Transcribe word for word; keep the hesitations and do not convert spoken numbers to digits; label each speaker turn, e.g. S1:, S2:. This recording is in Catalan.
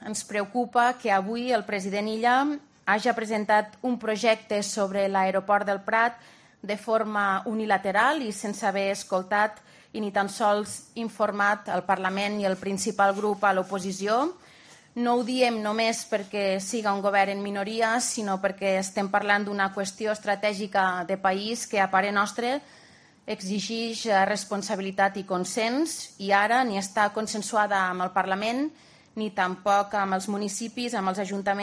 S1: ens preocupa que avui el president Illa hagi presentat un projecte sobre l'aeroport del Prat de forma unilateral i sense haver escoltat i ni tan sols informat el Parlament i el principal grup a l'oposició. No ho diem només perquè siga un govern en minoria, sinó perquè estem parlant d'una qüestió estratègica de país que, a parer nostre, exigeix responsabilitat i consens i ara ni està consensuada amb el Parlament ni tampoc amb els municipis, amb els ajuntaments